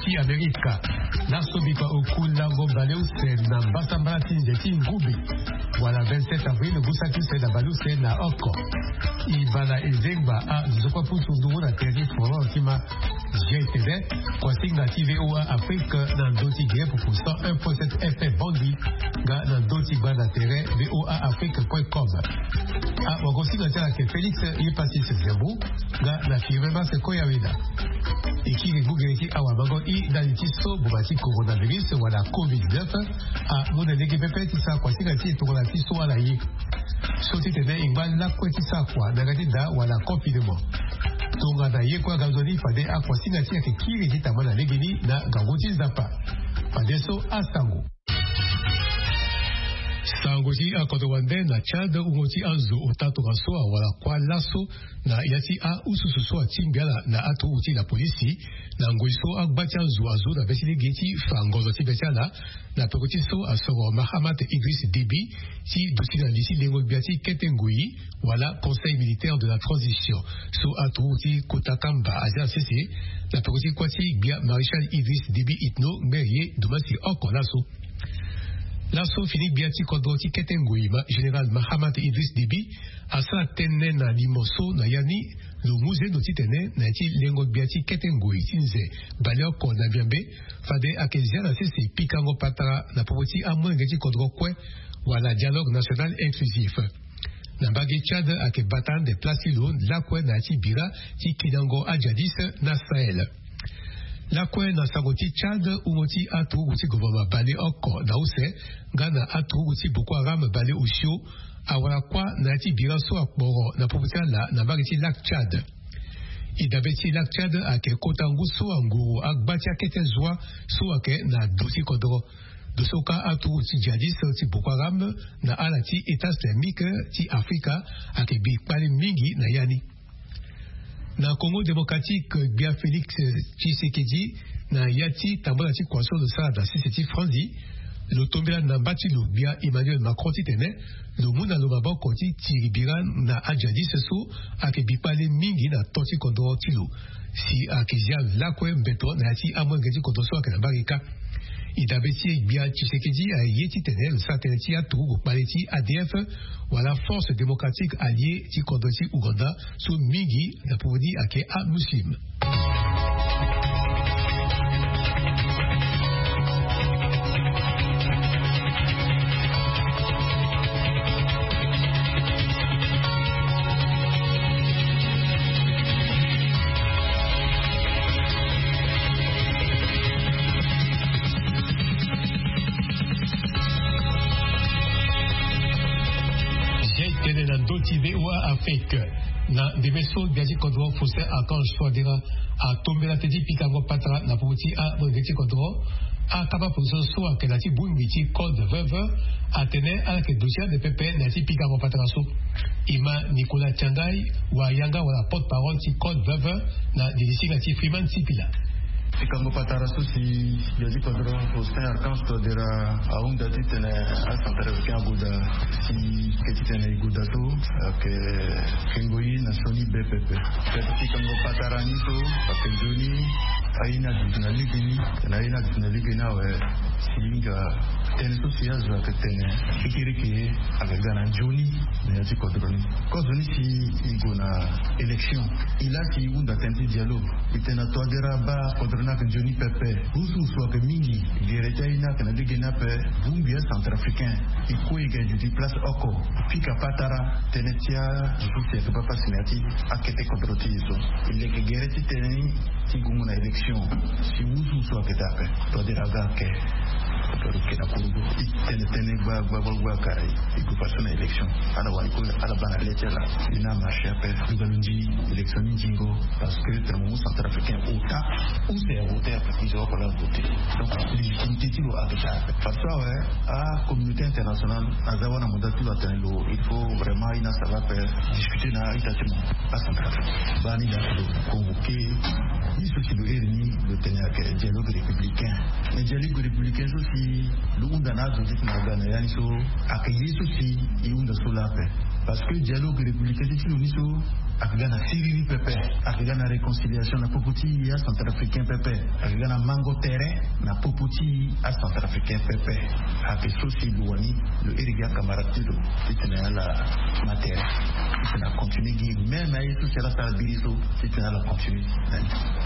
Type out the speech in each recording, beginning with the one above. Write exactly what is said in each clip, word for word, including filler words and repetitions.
Ti amerika. Laso bikua oku lango baleuse na mbasambala ti nze ti ngube, wala vingt-sept avril ngu saki use na baleuse na oko. Ibala ezengba a nzokua pusu nduru na tere ti forum ti ma. G T V, kuasinga ti VOA Afrique na ndo ti gere pupu cent un point sept F M Bangui, nga na ndo ti gba na tere VOA Afrique point com. A wagosinga ti ala ke Félix Yepasis Zembu, nga na Firmin Mas Koyaweda. E kiri ngu gere ti awa mango i ndali ti so boma ti coronavirus wala covid neuf. A mu na lege pepe ti sara kuasinga ti e tongana ti so ala ye. So ti tene e ngba lakue ti sara kua na yanga ti da wala confinement. Tongana ye kue aga nzoni fade akuasinga ti e ayeke kiri ti tama na legeni na ngangu ti Nzapa. Fadeso asango. Sango ti akodro wande na Tchad, wungo ti azo ota tongaso awara kuâ laso na ya ti aususu so atingbi ala na aturuku ti lapolisi, na ngoi so agba ti azo azo na be ti lege ti fa ngozo ti be ti ala, na peko ti so asoro Mahamat Idriss Déby ti duti na li ti lengo gbia ti kete ngoi, wala Conseil militaire de la transition, so aturuku ti kota kamba azia na sese, na peko ti kuâ ti gbia Maréchal Idriss Déby Itno, ngbene ye domasi oko laso. Laso fini gbia ti kodro ti kete ngoi ma général Mahamat Idriss Déby asara tënë na limo so na ya ni, lo mu zendo titene na ya ti lengo gbia ti kete ngoi ti nze bale oko na Miambe, fade ayeke zia na sese pikango patara na popo ti amolenge ti kodro kue, wala dialogue national inclusif. Na mbage Tchad ayeke bata ande place ti lo lakue na ya ti bira ti kinango ajadis na Sahel. Lakue na sango ti Tchad, wungo ti aturuku ti gouvernement bale oko na use, nga na aturuku ti Boko Haram bale osio, awara kuâ na ya ti bira so akporo na popo ti ala na mbage ti lac Tchad. E dabe ti lac Tchad ayeke kota ngu so anguru agba ti akete zua so ayeke na do ti kodro. Doso ka aturuku ti djihadiste ti Boko Haram na ala ti État islamique ti Afrika ayeke bi kpale mingi na ya ni. Na Congo démocratique, gbia Félix Tshisekedi, na ya ti tambula ti kua so lo sara na sese ti Franzi, lo tombela na mba ti lo gbia Emmanuel Macron titene lo mu na lo maboko ti tiri bira na ajadiste so ayeke bi kpale mingi na to ti kodro ti lo. Si ayeke zia lakue mbeto na ya ti amolenge ti kodro so ayeke na mbage kâ. E dabe ti e gbia Tshisekedi aye titene lo sara tënë ti aturuku kpale ti A D F, wala Force Démocratique Alliée ti kodro ti Ouganda, so mingi na popo ni ayeke amuslim. Zia e tene na ndö ti VOA Afrique. Na ndembe so gbia ti kodro Faustin Archange Touadéra atombela tënë ti pikango patara na popo ti amolenge ti kodro. Akapa position so ayeke na ya ti bongbi ti code veuve atene ala yeke duti ande pepe na ya ti pikango patara so. E ma Nicolas Tiangai, wayanga wala porte-parole ti code veuve, na lilisinga ti Freeman Sipila. Pikango patara so si gbia ti kodro Faustin Archange Touadéra ahunda titene acentrafricain agoda, si ke titene e goda so ayeke kengo ye na sioni be pepe. Pikango patara ni so ayeke nzoni aye ni aduti na legeni, titene aye ni aduti na legeni awe. Si hinga tënë so si azo ayeke tene kekereke ayeke ga na nzoni na ya ti kodro ni. Kozo ni si e gue na élection, e laa si e hunda tënë ti dialogue. E tene na Touadéra abaa kodro ni ayeke nzoni pepe. Husu husu ayeke mingi. Gere ti aye ni ayeke na legeni ape. Bongbi acentrafricain e kue e ga e duti place oko. E pika patara tënë ti azo so si ayeke baa pasi na ya ti akete kodro ti e so. E leke gere ti tënë ni ti gue na élection. Si husu husu ayeke daa ape, Touadéra aga ake. Touadéra ake na kurugu. E tene tënë gba gba gba gba aka e gue fadeso na élection. Ala wani kue ala baa na le ti ala. E na marché ape. Duga lo ndi élection ni nzingo. Parce que tene mo mu centrafricain ota use avoter parce que e zo oko laa voter. Donc légitimité ti lo ayeke daa ape. Fadeso awe, acommunauté internationale aza wâ na mandat ti lo atene lo, il faut vraiment aye ni asara ape, discuter na a-ita ti mo. Acentrafrique baa ni laa si lo convoqué. Ye so si lo iri ni lo tene ayeke dialogue républicain. Mais dialogue républicain so si lo hunda na azo ti tene aga na ya ni so ayeke ye so si e hunda so laa ape. Parce que dialogue républicain ti ti lo ni so, ake ga na siriri pepe, ake ga na réconciliation na popo ti acentrafricain pepe, ake ga na mango tere na popo ti acentrafricain pepe. Ake so si lo wani lo iri gi acamarade ti lo titene ala ma tere, titene acontinue gi même aye so si ala sara biri so, titene ala continue.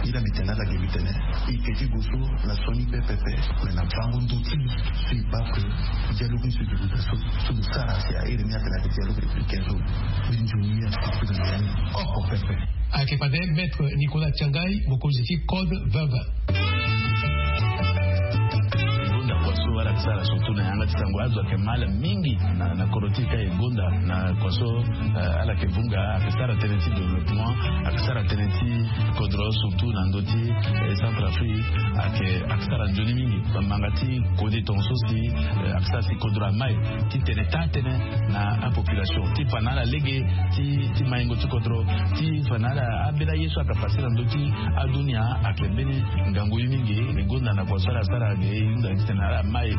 Ila mitene ala gi mitene, ike ti go so na soni pepepe. Mais na bango ndo ti so e baa ke dialogue ni so e dugu da so, so lo sara si a iri ni atene ake dialogue républicain so. Binzoni ya oko pepe. Ake fade maître Nicolas Tiangai, mokonzi ti code veuve. Gonda kua so ala ke sara surtout na yanga ti sango azo ake mal mingi na koro ti ka e gonda na kua so. Ala ke vunga ake sara tënë ti développement, ake sara tënë ti kodro surtout na ndö ti centrafrique. Ake sara nzoni mingi bamanga ti kode tonga so si ake sara si kodro amai ti tene taa tënë na apopulation ti fa na ala lege ti maingo ti kodro, ti fa na ala ambeni aye so aka pase na ndö ti adunia. Ake mbeni ngangu ye mingi. E gonda na kua so ala sara ake e hunda titene ala mai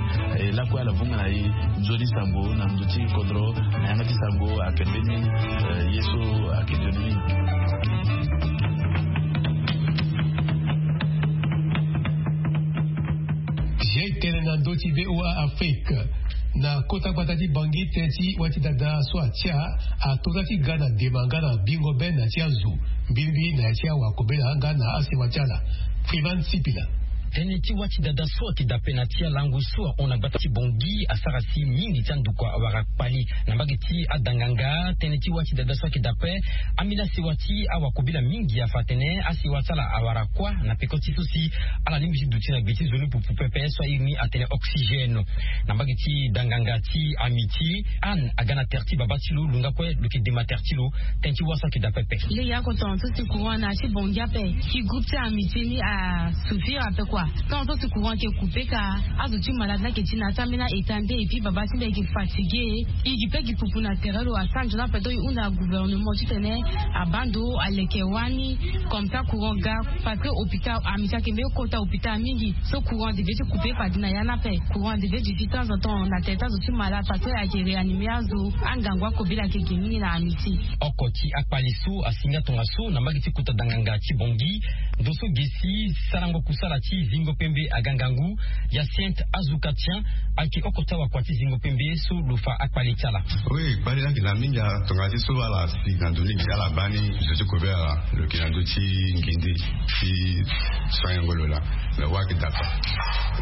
lakue ala vunga na e nzoni sango na ndö ti kodro na yanga ti sango ake mbeni ye so ake nzoni mingi. Zia e tene na ndö ti VOA Afrique. Na kota gbata ti Bangui tënë ti wâ ti dada so atia ato za ti ga na dema nga na bingo be na ti azo mbirimbiri na ya ti awakobela nga na asema ti ala. Freeman Sipila. Tënë ti wâ ti dada so ayeke daa ape na ti alango so ahon na gbata ti Bangui asara si mingi ti andokua awara kpali. Na mbage ti adanganga tënë ti wâ ti dada so ayeke daa ape, ambeni asewa ti awakobela mingi afa atene asewa ti ala awara kuâ na peko ti so si ala lingbi ti duti na gbe ti nzoni pupu pepe so airi ni atene oxygène. Na mbage ti danganga ti Amitié, Anne aga na tere ti babâ ti lo, lo nga kue lo yeke dema tere ti lo. Tënë ti wâ so ayeke daa pepe. Lege oko tonga so si courant na ya ti Bangui ape, si groupe ti Amitié ni asouffrir ape kua. Tonga so si courant ayeke coupé ka, azo ti malade ni ayeke ti na ya ti ambeni a-état nde, et puis babâ ti mbi ayeke fatigué. E gi pe gi pupu na tere lo asara nzoni ape. Donc e hunda gouvernement titene abaa ndo aleke wani comme ça courant ga. Parce que hôpital Amitié ayeke mbeni kota hôpital mingi. So courant devait ti coupé fade na ya ni ape. Courant devait duti temps en temps na tere ti azo ti malade parce que ayeke réanimé azo. Angangu akobela ayeke ge mingi na Amitié. Oko ti akpali so asi nga tongaso na mbage ti kota danganga ti Bangui. Ndo so ge si sarango kusala ti zingo pembe aga ngangu. Hyacinthe Azuka Tian ayeke oko ti awakua ti zingo pembe so lo fa akpali ti ala. Oui, kpali ni ayeke na mingi. Tonga ti so ala si na ndo ni gi ala baa ni zo ti kobela lo yeke na ndö ti ngende ti soignango lo laa. Mais wâ ayeke daa ape.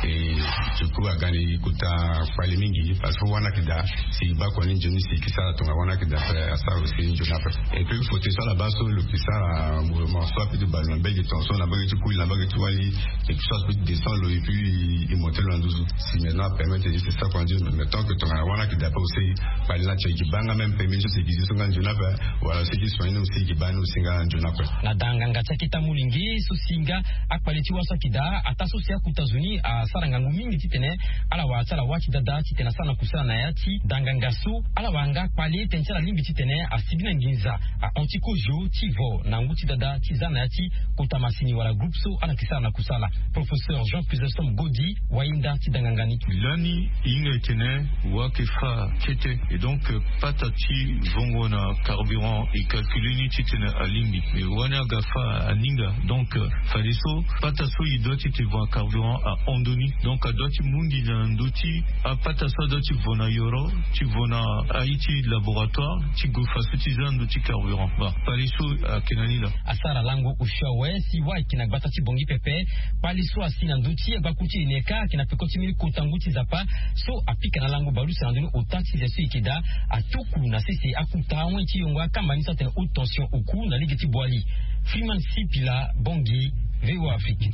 E, du coup aga ni kota kpali mingi parce que wâ ni ayeke daa. Si e baa kua ni nzoni si e yeke sara tonga wâ ni ayeke daa ape, asara aussi nzoni ape. Et puis côté so ala baa so lo yeke sara mouvement so ape ti bale na mbage tongaso na mbage ti kuli na mbage ti wali. Et puis so azo ti descend lo et puis e monté lo na nduzu. Si maintenant apermettre e ti sara kua nzoni, mais tant que tongana wâ ni ayeke daa ape aussi, kpali ni atie e yeke baa nga même permis so si e yeke zi so nga nzoni ape. Wala so e yeke soigné ni aussi e yeke baa ni aussi nga nzoni ape. Na danganga ti aketa molenge so si nga akpali ti wâ so ayeke daa, ataa so si akota zo ni asara ngangu mingi titene ala wara ti ala wâ ti dada titene asara na kusala na ya ti danganga so. Ala wara nga kpali tënë ti ala lingbi titene asibi na nginza ahon ti kozio ti vo na ngu ti dada ti za na ya ti kota masini wala groupe so ala yeke sara na kusala. Professeur Jean Chrysostome Godi, wahinda ti danganga ni. Lani e hinga e tene wâ ayeke fâ kete. Et donc pata ti vongo na carburant e calcule ni titene alingbi. Mais wâ ni aga fâ aninga. Donc fadeso pata so e doit ti tene vo na carburant ahon ndoni. Donc adoit ti mu nginza na ndö ti apata so adoit ti vo na yoro, ti vo na aye ti laboratoire, ti gue faso ti za na ndö ti carburant. Bon, kpali so ayeke na ni laa. Asara lango osio awe si wâ ayeke na gbata ti Bangui pepe. Kpali so asi na ndö ti agbaku ti ene kâ ayeke na peko ti mbeni kota ngu ti nzapa so apika na lango baleuse na ndö ni ota ti ze so e yeke daa. Atuku na sese akuta awen ti yongo akamba ni so atene haute tension oku na lege ti Boali. Freeman Sipila, Bangui, VOA Afrique.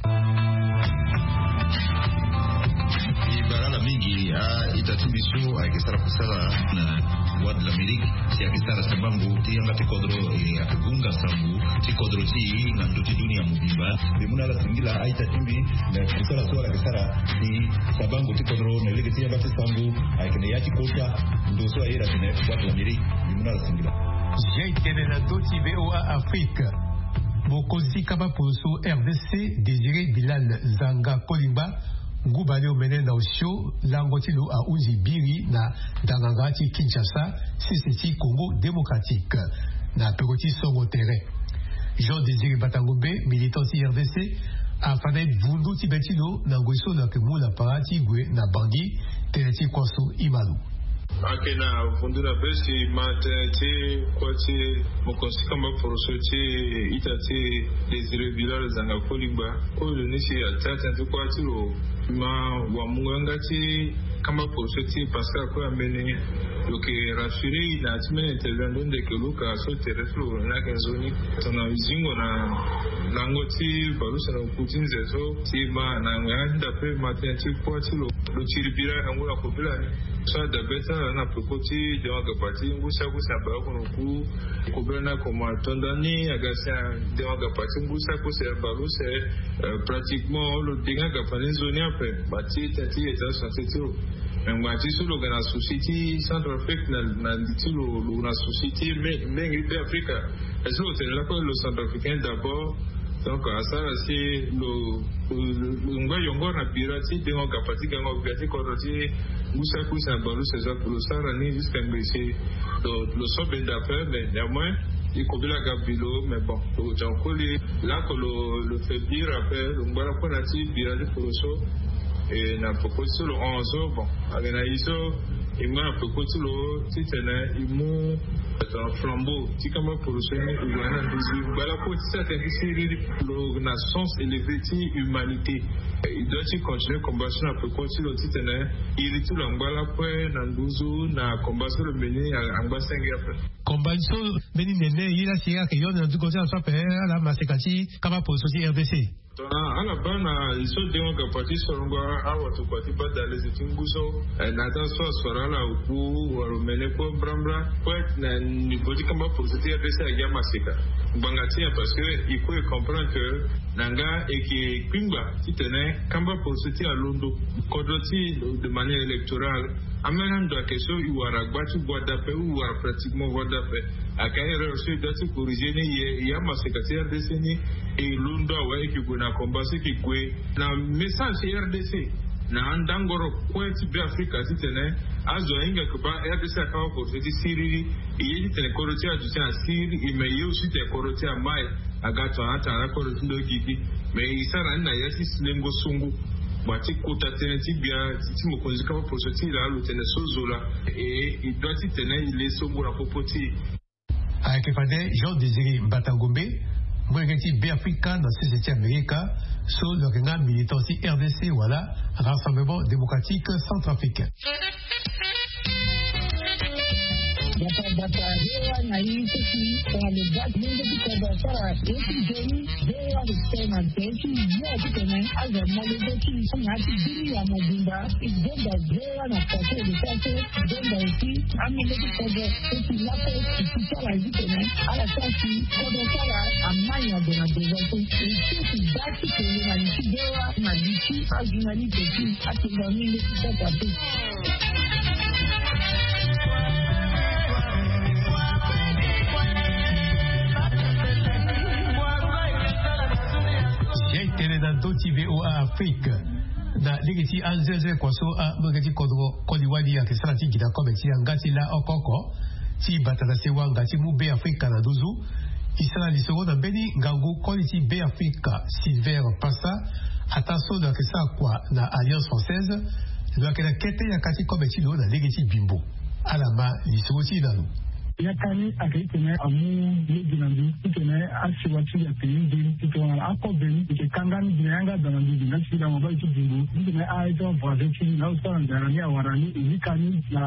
E bara ala mingi a-ita ti mbi so ayeke sara kusala na Voix de l'Amérique, si ayeke sara sabango ti yanga ti kodro, e, ayeke hunga sango ti kodro ti e na ndö ti dunia mobimba. Mbi mu na ala singila a-ita ti mbi na kusala so ala yeke sara si sabango ti kodro na lege ti yanga ti sango ayeke na ya ti kota ndo so aye atene Voix de l'Amérique. Mbi mu na ala singila. Zia e tene na ndö ti VOA Afrique. Mokonzi ti kamba poroso RDC, Désiré Bilal Zanga Kolingba, Nguba ni omene na osio lango ti lo ahunzi biri na danganga ti Kinshasa, sese ti Congo Démocratique, na peko ti songo tere. Jean Désiré Batangombe, militant ti R D C, afa na e vundu ti be ti lo na ngoi so lo yeke mu na para ti gue na Bangui, tënë ti kuâ so e ma lo. Ayeke na vundu na be si e ma tënë ti kuâ ti mokonzi ti kamba poroso ti ita ti Désiré Bilal Zanga Kolingba. Oyo lo ni si atia tënë ti kuâ ti lo ma wamungo yanga ti kamba poroso ti Pascal Koya Mbene. Lo yeke rassuré na ya ti mbeni interview ande ndeke luka so tere ti lo ni ayeke nzoni. Tongana zingo na lango ti baleuse na oku ti nze so si e ma na yanga ti nda pe ma tënë ti kuâ ti lo. Lo tiri bira na ngu na kobela ni so adabe ti ala na peko ti dengo agapa ti ngu si akuse na baleoko na oku. Kobela ni akoma to nda ni aga si adengo agapa ti ngu si akuse na baleuse. Pratiquement lo dengo agapa ni nzoni ape. Ba ti tënë ti état de santé ti lo. Me ngbanga ti so lo ga na souci ti Centrafrique na li ti lo, lo na souci ti mingi ti Afrika. Est-ce que lo tene lakue lo centrafricain d'abord? Donc asara si lo ngba yongoro na bira ti dengo gapa ti gango bira ti kodro ti ngu si akuse na baleuse so ape lo sara ni jusqu'à ngbe si lo so benda ape. Mais néanmoins e kobela aga bi lo. Mais bon, lo gue ti koli lako lo faiblir ape, lo ngba lakue na ti bira ti poroso. E na peko ti so lo hon so bon, ayeke na ye so e ngba na peko ti lo titene e mu flambeau ti kamba poroso ni e gue na nduzu e ngba lakue ti sa tënë ti siriri. Lo na sens élevé ti humanité. E doit ti continuer combat so na peko ti lo titene iri ti lo angba lakue na nduzu na combat so lo meni angba senge ape. Combat so mbeni nene ye la si ayeke yoni na nduko ti ala so ape ala maseka ti kamba poroso ti R D C. Tongana ala baa na li so dengo gapa ti sorongo awatokua ti baa dalezi ti ngu so na ata so asoro ala oku wala omene kue mbrambra kue na niveau ti kamba poroso ti R D C agi amaseka. Ngbanga ti nyen? Parce que e kue e comprendre que na nga e yeke kpingba titene kamba poroso ti alondo kodro ti de manière électorale. Ambeni ando ayeke so e wara gba ti voie d'appel ou e wara pratiquement voie d'appel. Ayeke erreur so e doit ti corriger ni. E amaseka ti R D C ni e londo awe e yeke gue na combat so e yeke gue na message ti R D C na andangoro kue ti Beafrika titene azo ahinga yeke baa R D C akamba poroso ti siriri. E ye titene kodro ti aduti asiriri e me e ye aussi titene kodro ti amai aga tongana atanga na kodro ti ndo gigi. Mais e sara ni na ya ti lengo songo. Bua ti kota tënë ti gbia ti mokonzi kamba poroso ti laa lo tene so zo laa. E e doit titene e le songo na popo ti e. Ayeke fade Jean Désiré Mbatangombe, molenge ti Beafrika na sese ti Amerika, so lo yeke nga militant ti R D C wala Rassemblement Démocratique Centrafricain. Bata bata, V O A na ye ti si tongana lo baa ti lenge ti kodro asara ye ti nzoni, V O A lo tene na nze ti yo titene azo amolenge ti na ya ti bini ya mobimba. E gonda V O A na pase lo sara so, e gonda aussi amolenge ti kodro so si lakue e si ti ala titene ala sara si kodro ti ala amai na gue na devotion. E si e si baa ti kele na li ti V O A na li ti ajournaliste ti atonga mingi ti sasa te. Ye tene na ndö ti V O A Afrique. Na lege ti anzenze kua so amolenge ti kodro koli wali ayeke sara ti gi na kobe ti yanga ti la oko oko ti bata na sewa nga ti mu Beafrika na nduzu. E sara lisoro na mbeni ngangu koli ti Beafrika Silver Pasa, ataa so lo yeke sara kua na Alliance Française. Lo yeke na kete yaka ti kobe ti lo na lege ti bimbo. Ala ma lisoro ti e na lo. Yaka ni ayeke titene amu lege na mbi titene asewa ti e ayeke nzoni ti tongana akobe ni e yeke kanga ni gi na yanga daa na mbi gi na ti lango baa ti bimbo titene aye ti avoisin ti ni na azo so ala nzara ni awara ni e yika ni na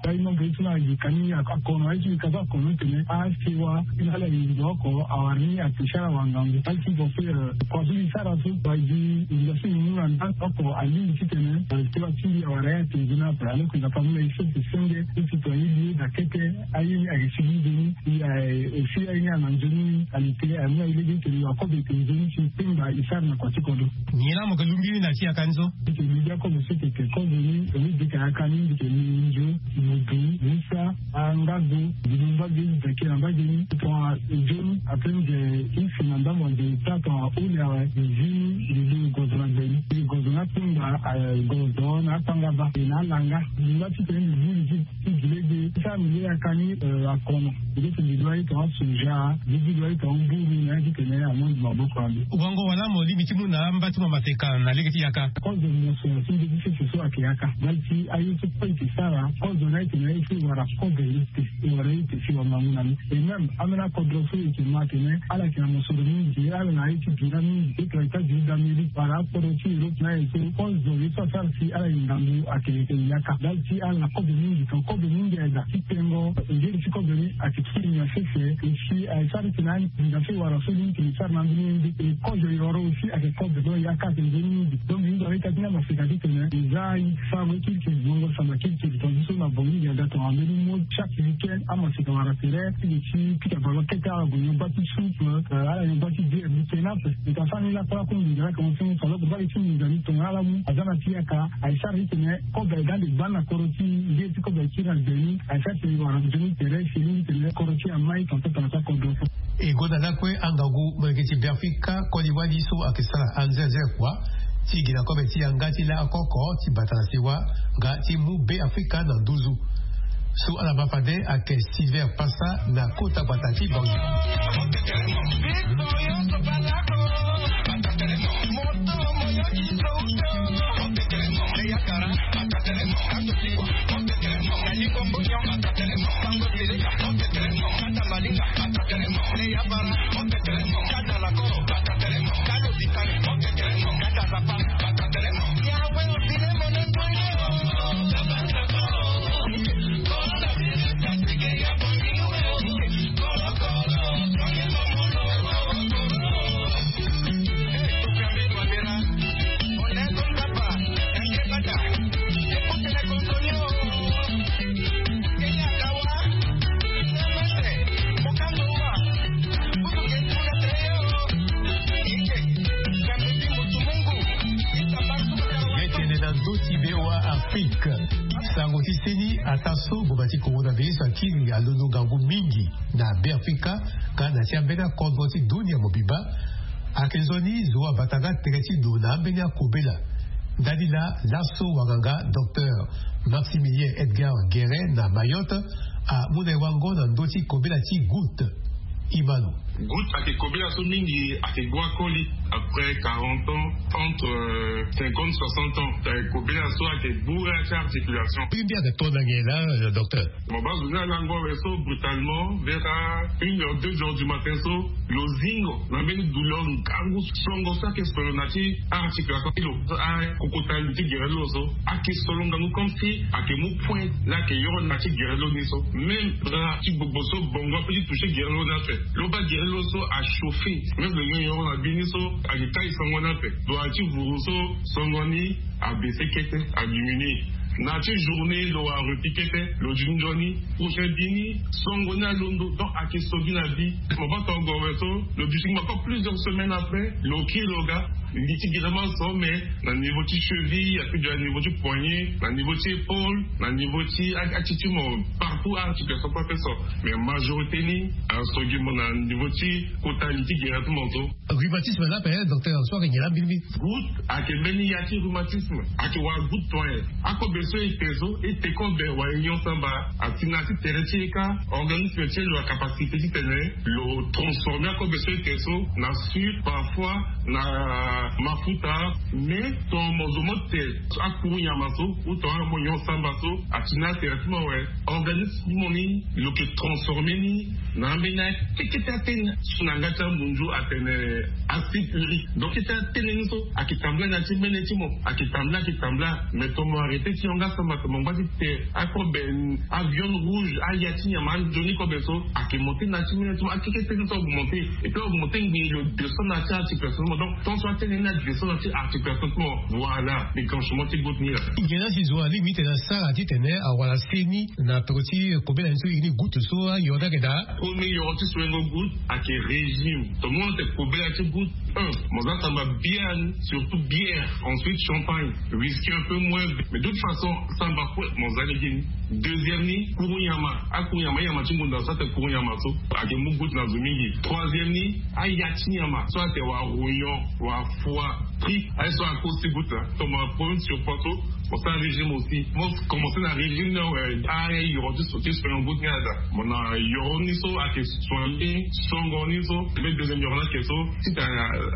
aye nombre ye so na ayika ni akono aye ti yika so akono titene asewa ti na ala yingo oko awara ni apesi ala wangangu aye ti vo so. Kua so ni sara so baa gi yinga so ni mu na nda oko alingbi titene sewa ti mbi awara ye atongi ni ape. Alors que na famille ye so ayeke senge ti tongana ye li ye daa kete. Aye ni ayeke sigi nzoni. E si aye ni ana nzoni ni ali te aye mu aye lege ti tene yo akobe ayeke nzoni si tengba e sara na kua ti kodro. Nyen laa mo yeke lungbi ni na ti yaka ni so? Mbi yeke lungbi akobe so ayeke kozo ni. Mbi yeke yaka ni mbi yeke li nzo, mudu, musa, angago, mbi lu mbage ni, mbi yeke na mbage ni tongana nzoni. Après nze, i si na ndambo nze, i ta tongana holi awe, i zi ni, i zi ni gozo na gbeni, i gozo na tungba, gozo na atangaba e na alanga. Lingba ti tene mbi buli ti ti gi lege ti sara mbi le yaka ni. Akono, mbi ti mbi dua ye tongana soja, mbi ti dua ye tongana mburu na ye ti tene amondi maboko na mbi. Wango wala mo lingbi ti mu na amba ti mo mateka na lege ti yaka? Kozo mo so na ti nde ti sese so ayeke yaka ndali ti aye so kue e yeke sara. Kozo ni ayeke na ye so e wara kozo ye te, e wara ye te si wangangu na ni. Et même ambeni akodro so e yeke ma atene ala yeke na mosoro mingi, ala na ye ti bira mingi, e yeke na États-Unis d'Amérique wala akodro ti Europe na ye so kozo ye so asara si ala yeke ngangu ayeke yaka ndali ti ala na kozo mingi. Tongana kozo mingi aye daa ti tengo ngeri ti kozo ni ayeke ti nyon sese. E si aye sara ti tene anginza so e wara so ni tene e sara na ambeni ye nde e kozo e wara aussi ayeke kozo. Donc yaka ayeke nzoni mingi. Donc mbi hinga awe ka ti ni amaseka ti tene e za aye ti sara ngo kirikiri, bongo samba kirikiri. Tongana so na bongi ngia daa tongana mbeni mo chaque week-end amaseka wara tere ti ge ti pika ballon kete ala gue nyon bâ ti soupe, ala nyon bâ ti bière mbi tene ape. Mbi ta sara ni lakue lakue nginza laa tongana so ni fa loko bâ ti nginza ni tongana ala mu aza na ti yaka. Aye sara ti tene kobe aye ga ande gbani na kodro ti nde ti kobe aye kiri na gbe ni. Aye sara ti tene e wara nzoni tere si e lingbi tene kodro ti e amai tongana so tongana so akodro so. E gonda lakue angangu molenge ti Beafrika koli wali so ayeke sara anzenze kua ti gi na kobe ti yanga ti la akoko ti bata na siwa nga ti mu Beafrika na nduzu. So ala ma fade ayeke Silver Pasa na kota gbata ti Banjul. Nge tene na ndö ti V O A Afrique. Sango ti seni, ataa so ngboma ti corona virus akiri alondo ngangu mingi na Beafrika nga na ti ambeni akodro ti dunia mobimba. Ayeke nzoni zo abata nga tere ti lo na ambeni akobela. Ndali laa laso wanganga docteur Maximilien Edgar Guérin na Mayotte amu na e wango na ndö ti kobela ti goutte. Imano. Goutte ayeke kobela so mingi ayeke gbu akoli après quarante ans, entre cinquante, soixante ans. Ayeke kobela so ayeke gbu ya ti articulation. Mbi mbi ayeke to na nyen laa, docteur? Mo baa zo ni alango awe so brutalement vers une heure, deux heures du matin so lo zingo na mbeni douleur ngangu. Songo so ayeke solo na ti articulation ti lo, akokota li ti gere ti lo so ayeke solo ngangu comme si ayeke mu point la ayeke yoro na ti gere ti lo ni so. Même bras ti gbogbo so bongo ape ti toucher gere ti lo ni ape. Lo baa gere ti lo so achauffer. Même lo nyongo yoro na bi ni so ayeke kai songo ni ape. Lo ayeke ti vuru so songo ni abaisse kete, adiminuer. Na ti journée lo wara repli kete, lo di nzoni prochain bi ni songo ni alondo. Donc ayeke so gi na bi. Mo baa tongo awe so lo duti ngbanga encore plusieurs semaines après, lo kiri lo ga. Li ti gere ma so mais na niveau ti cheville, ape déjà na niveau ti poignet, na niveau ti épaule, na niveau ti a- ati ti mo partout articulation kue ape so. Mais majorité ni aso gi mo na niveau ti kota li ti gere ti mo so. Rhumatisme laa ape, docteur, so ayeke nyen laa mbirimbiri? Goutte ayeke mbeni ya ti rhumatisme. Ayeke wara goutte point. Akobe so e te so, e te kobe wala e nyon samba, asi na ya ti tere ti e kâ, organisme ti e lo na capacité ti tene lo transformer akobe so e te so na sucre, parfois na mafuta. Mais tongana mo zo mo te akuru nyama so ou tongana mo nyon samba so, asi na ya tere ti mo awe, organisme ti mo ni lo yeke transformer ni na ambeni akekete atene so na yanga ti amunzu atene acide urique. Donc kete atene ni so ayeke tambula na ya ti mbene ti mo, ayeke tambula, ayeke tambula. Mais tongana mo arrêter ti yanga samba, tongana mo ngba ti te akobe, aviande rouge, aya ti nyama, anzoni kobe so ayeke monter na ya ti mbene ti mo, akekete ni so augmenter. Et puis augmenter ngbii lo descend na ya ti articulation ti mo. Donc tant so atene ni adescend na ya ti articulation ti mo, voilà déclenchement ti goutte ni laa. Nyen laa si zo alingbi ti tene asara ti tene awara seni na peko ti kobela ni so e ni goutte so ayo ni ayeke daa? Meilleur ti soingo goût ake régime. Tout le monde te kobela ti goût. Un, mo za samba bière, surtout bière. Ensuite champagne, whisky un peu moins. Mais de toute façon samba kue mo za lege ni. Deuxième ni kuru nyama. Akuru nyama, nyama ti ngunda so ate kuru nyama so ake mu goût na zo mingi. Troisième ni aya ti nyama so ate wa royon, wa foi, tri. Aye so akosi goût la. Toma problème sur poids so. Mo sara régime aussi. Mo commencé na régime na, euh, ah, yoro ti so ti soigno goût ni ada. Mo na yoro ni so ake soigné songo ni so. Mais deuxième yoro na ke so ti ta,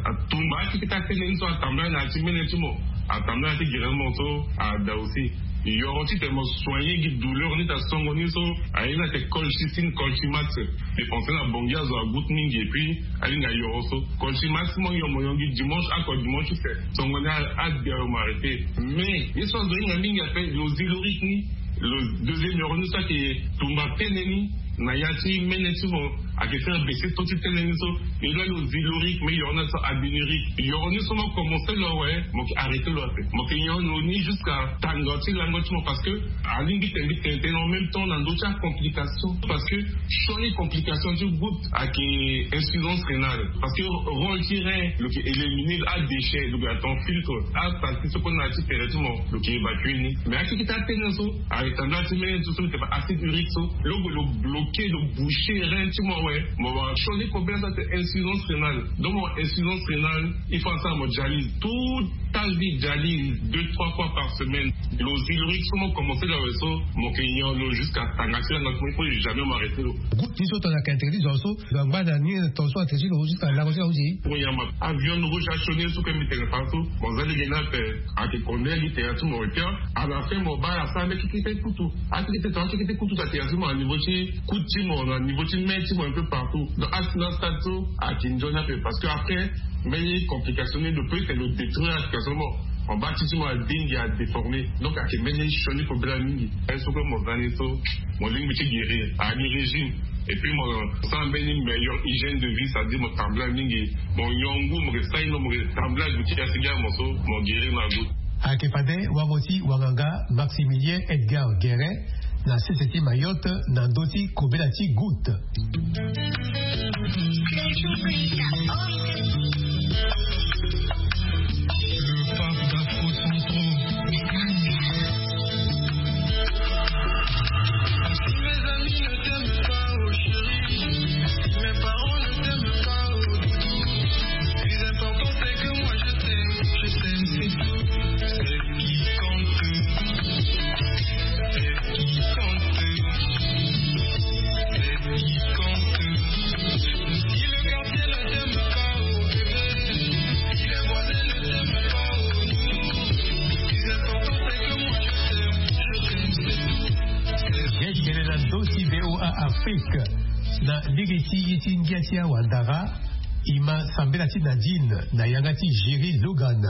atumba ti kita tene ni so atambula na ti mene ti mo. Atambula na ti guérir mo so ada aussi. Yoro ti te mo soigné gi douleur ni ta songo ni so. Aye na te colchicine, colchimax. Dépensé na bongi azo agoût mingi et puis alinga yoro so. Colchimax mo yo mo yongi dimanche, ako dimanche se songo ni a, a dia yo mo arrêté. Mais ye so azo hinga mingi ape lo Zyloric ni. Lo deuxième yoro ni so ake tumba tene ni na ya ti mene ti mo. Ake faire baisser to ti tene ni so. E lo lo Zyloric, mais yoro ni so Adénuric. Yoro ni so mo commencé lo awe, mo ke arrêté lo ape. Mo ke nyon lo ni jusqu'à tanga ti lango ti mo parce que alingbi tene tene tene en même temps na ndö ti acomplication. Parce que sioni complication ti goût ake insuffisance rénale. Parce que rôle ti rein lo ke éliminer adéchet, lo ke attend filtre asali ti so kue na ya ti tere ti mo lo ke évacuer ni. Mais akeke ti atene so aretambula ti mene ti so lo ke acide urique so lo ke lo bloquer, lo boucher rein ti mo awe. Mo wara sioni kobela so ate insuffisance rénale. Donc mo insuffisance rénale il faut asara mo dialyse tout ta vie, dialyse deux trois fois par semaine. Lo Zyloric so mo commencé lo awe so mo ke nyon lo jusqu'à tanga ti lango ti mo, il faut jamais mo arrêté lo. Goût ni so tongana ake interdit zo so lo angba na ni ton so interdit lo jusqu'à lango ti lo aussi. Pour nyama aviande rouge asioni so ke mbi tene fa so mo za lege ni ape. Ake konde gi tere ti mo et puis à la fin mo baa asara mbi kekete kutu. Akekete to akekete kutu ta tere ti mo na niveau ti kutu ti mo na niveau ti mê ti mo un peu partout. Donc asi na stade so ake nzoni ape parce que après mbeni complication ni lo peut te lo détruire application mo. En bas ti ti mo adingi adéformé. Donc ake mbeni sioni kobela mingi. Aye so kue mo za ni so mo lingbi ti guérir, aye ni régime. Et puis mo sara mbeni meilleure hygiène de vie, c'est-à-dire mo tambula mingi. Mo nyon ngu, mo ke sa ino, mo ke tambula gu ti asi ga mo so mo guérir na goût. Ake fade wango ti wanganga Maximilien Edgar Guérin na sese ti Mayotte na ndö ti kobela ti goût. Le pape d'Afro Centro. Si mes amis ne t'aiment pas, oh chérie, si mes parents ne t'aiment pas, oh doudou, le plus important c'est que moi je t'aime, je t'aime, c'est tout. C'est ce qui compte. C'est ce qui compte. C'est ce qui compte. Si le quartier ne t'aime pas, oh bébé, si les voisins ne t'aiment pas, oh nounou, le plus important c'est que moi je t'aime, je t'aime, c'est tout. Ye tene na ndö ti V O A Afrique na lege ti ye ti ngia ti awandara. E ma sambela ti Nadine na yanga ti Jerry Logan.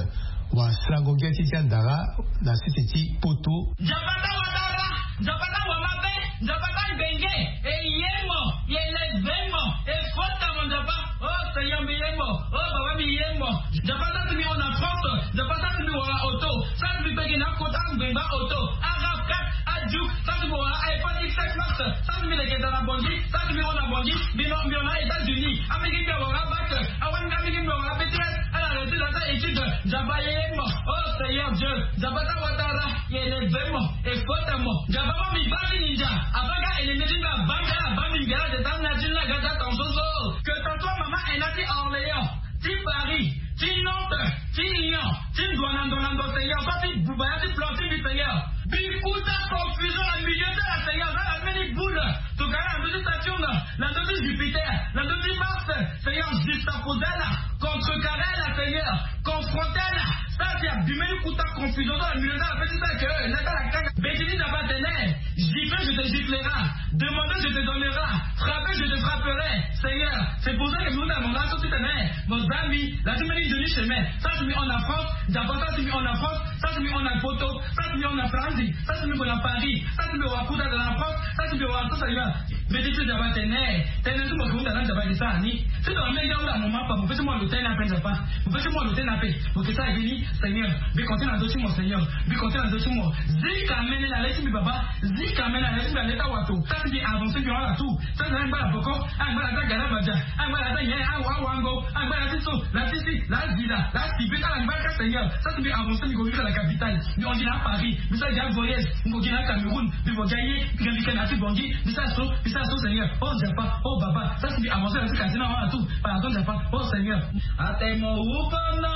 Wasarango ngia ti ti andara na sese ti poto. Nzapa ta watara, Nzapa ta wamabe, Nzapa ta ngbenge. E ye mo, e leve mo, e fota mo Nzapa. Oh Seigneur, mbi ye mo. Oh Baba, mbi ye mo. Nzapa sara ti mbi hon na France. Nzapa sara ti mbi wara auto. Sara ti mbi bege na kota ngbengba auto. Arab quatre, Adjuk. Sara ti mbi wara iPhone X sept Max. Sara ti mbi leke daa na Bangui. Sara ti mbi hon na Bangui. Mbi hon na États-Unis. Amenge mbi awara bac. Awani amenge mbi awara B T S. Ala réussi na ta étude. Nzapa ye mo. Oh Seigneur Dieu. Nzapa ta watara. E leve mo. E fota mo. Nzapa mo mbi baa ti ni ndia. Abaa ka ennemi ti mbi abaa mbi, ala baa mbi ngia la te ta na ti ni la ga ta tonso so. Que ce soit maman Ena ti Orléans, ti Paris, ti Nantes, ti Lyon, ti Douala, Douala, Douala, Seigneur, soit ti buba ya ti plan ti mbi, Seigneur. Bikuta confusion na milieu ti ala, Seigneur, za la mbeni boule. Tokana na ndö ti Saturne, na ndö ti Jupiter, na ndö ti Mars, Seigneur, juxtaposer ala, contrecarrer ala, Seigneur, confronter ala. Sara ti abima ni kuta confusion so na milieu ti ala, pe ti sara que na ka la kanga. Beti ni Nzapa atene, gifler, je te giflerai. Demander, je te donnerai. Frapper, je te frapperai. Seigneur, c'est pour ça que mbi hunda na mo laso ti tene, mo za mbi, la ti mbeni nzoni chemin. Sara ti mbi hon na France, Nzapa sara ti mbi hon na France, sara ti mbi hon na poto, sara ti mbi hon na Faranzi, sara ti mbi gue na Paris, sara ti mbi wara kuta daa na France, sara ti mbi wara so, Seigneur. Mbeti ti Nzapa atene, tënë ti mo ke hunda na Nzapa ayeke sara ni. Ti lo amenge ahunda mo ma apa, mo pe ti mo lo tënë ape Nzapa. Mo pe ti mo lo tënë ape. Mo ke sara ye ni, Seigneur. Mbi konte na ndö ti mo, Seigneur. Mbi konte na ndö ti mo. Zika mene na le ti mbi baba. Zika mene na le ti mbi na le ti awato. Sara ti mbi avancer mbi hon ala tout. Sara ti mbi angba na boko. Angba na ti agara badia. Angba na ti anyen, awa, awango. Angba na ti so, na ti si, na azila, na asibi, ala angba ka Seigneur. Sara ti mbi avancer mbi ko yika na capitale. Mbi hon gi na Paris. Mbi sara gi avoyage. Mbi ko gi na Cameroun. Mbi ko gi aye. Mbi ga mbi ke na ti Bangui. Mbi sara so, mbi sara so Seigneur. Oh Nzapa, oh Baba. Sara ti mbi avancer na ti quartier na hon ala tout. Pardon Nzapa, oh Seigneur. Atene mo wu pono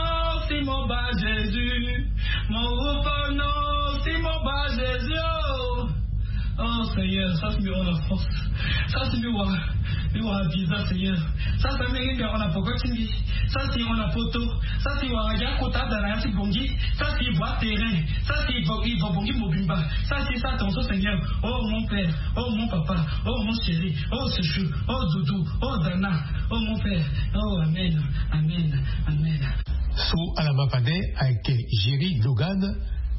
si mo baa Jésus. Mo wu pono si mo baa Jésus, oh. Oh Seigneur, sara ti mbi hon na force. Sara ti mbi wara, mbi wara visa Seigneur. Sara ti mbi hon na poko ti mbi. Sara ti hon na poto. Sara ti wara gi akota ada na ya ti Bangui. Sara ti vo aterrain. Sara ti vo, i vo Bangui mobimba. Sara ti sara tongaso Seigneur. Oh mon père, oh mon papa, oh mon chéri, oh chouchou, oh doudou, oh Dana, oh mon père. Oh amen, amen, amen. So ala ma fade ayeke Jerry Dogan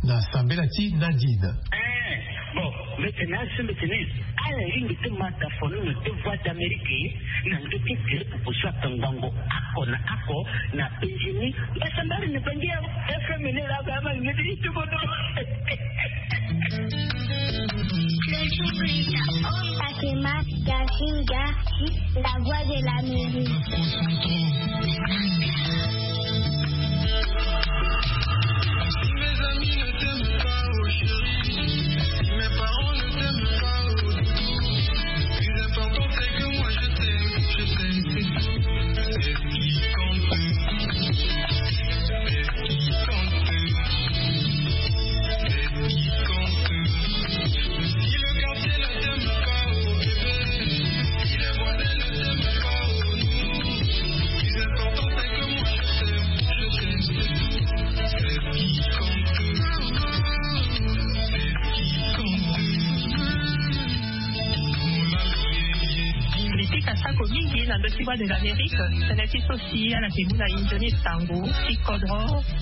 na sambela ti Nadine. Eh, bon, mbi tene asi mbi tene, ala lingbi ti ma dafono na deux voix d'Amérique na ndö ti tere popo so atongbango oko na oko na penzi ni. Mbasambala ni bangi ya F M ni la ba ma ngeti ti kodo. Fatima Gazinga, la voix de l'Amérique. Mbi pika sako mingi na ndö ti Voix de l'Amérique, tënë ti so si ala yeke mu na e nzoni sango ti kodro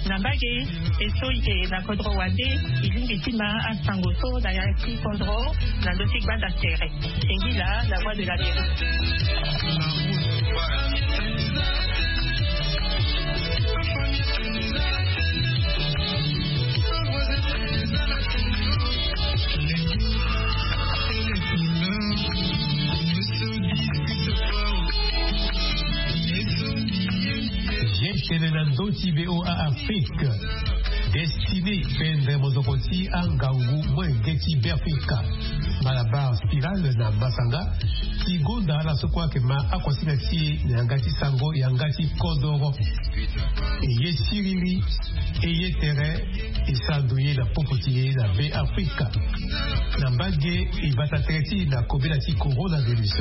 na mbage. E so e yeke na kodro wande, e lingbi ti ma asango so na ya ti kodro na ndö ti gbanda tere. Singila, la voix de l'Amérique. Ye tene na ndö ti V O A Afrique. Destiné, pendre mozoko ti angangu molenge ti Beafrika. Malabar Spiral na masanga ti gonda ala so kue ayeke ma akuasinga ti e na yanga ti sango, yanga ti kodoro. E ye siriri, e ye tere, e sara ndo ye na popo ti e na Beafrika. Na mbage e bata tere ti e na kobela ti coronavirus.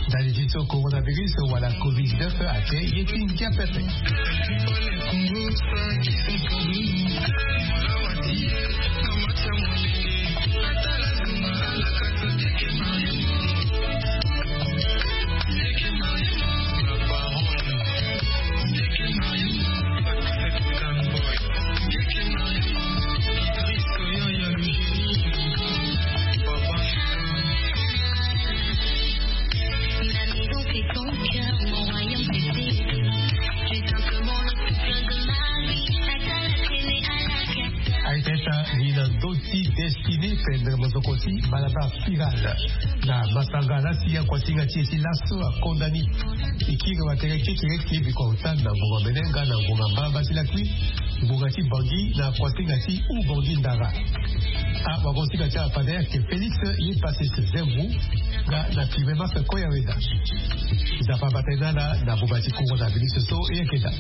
Ndali ti so coronavirus wala covid dix-neuf ayeke ye ti ngia pepe. Aiteta ni na ndö ti Destiné, pendre mozoko ti Malabar Spiral. Na masanga laa si akuasinga ti e ti laso akonda ni. E kiri watere kekereke biko aota na ngonga mene nga na ngonga mbamba ti lakui, ngonga ti Bangui na akuasinga ti Ubangui Ndara. Awagosinga ti ala fade ayeke Félix Yepassis Zengou, nga na Clément Koyaweda. Nzapa abata e na ala na buba ti coronavirus so e yeke daa.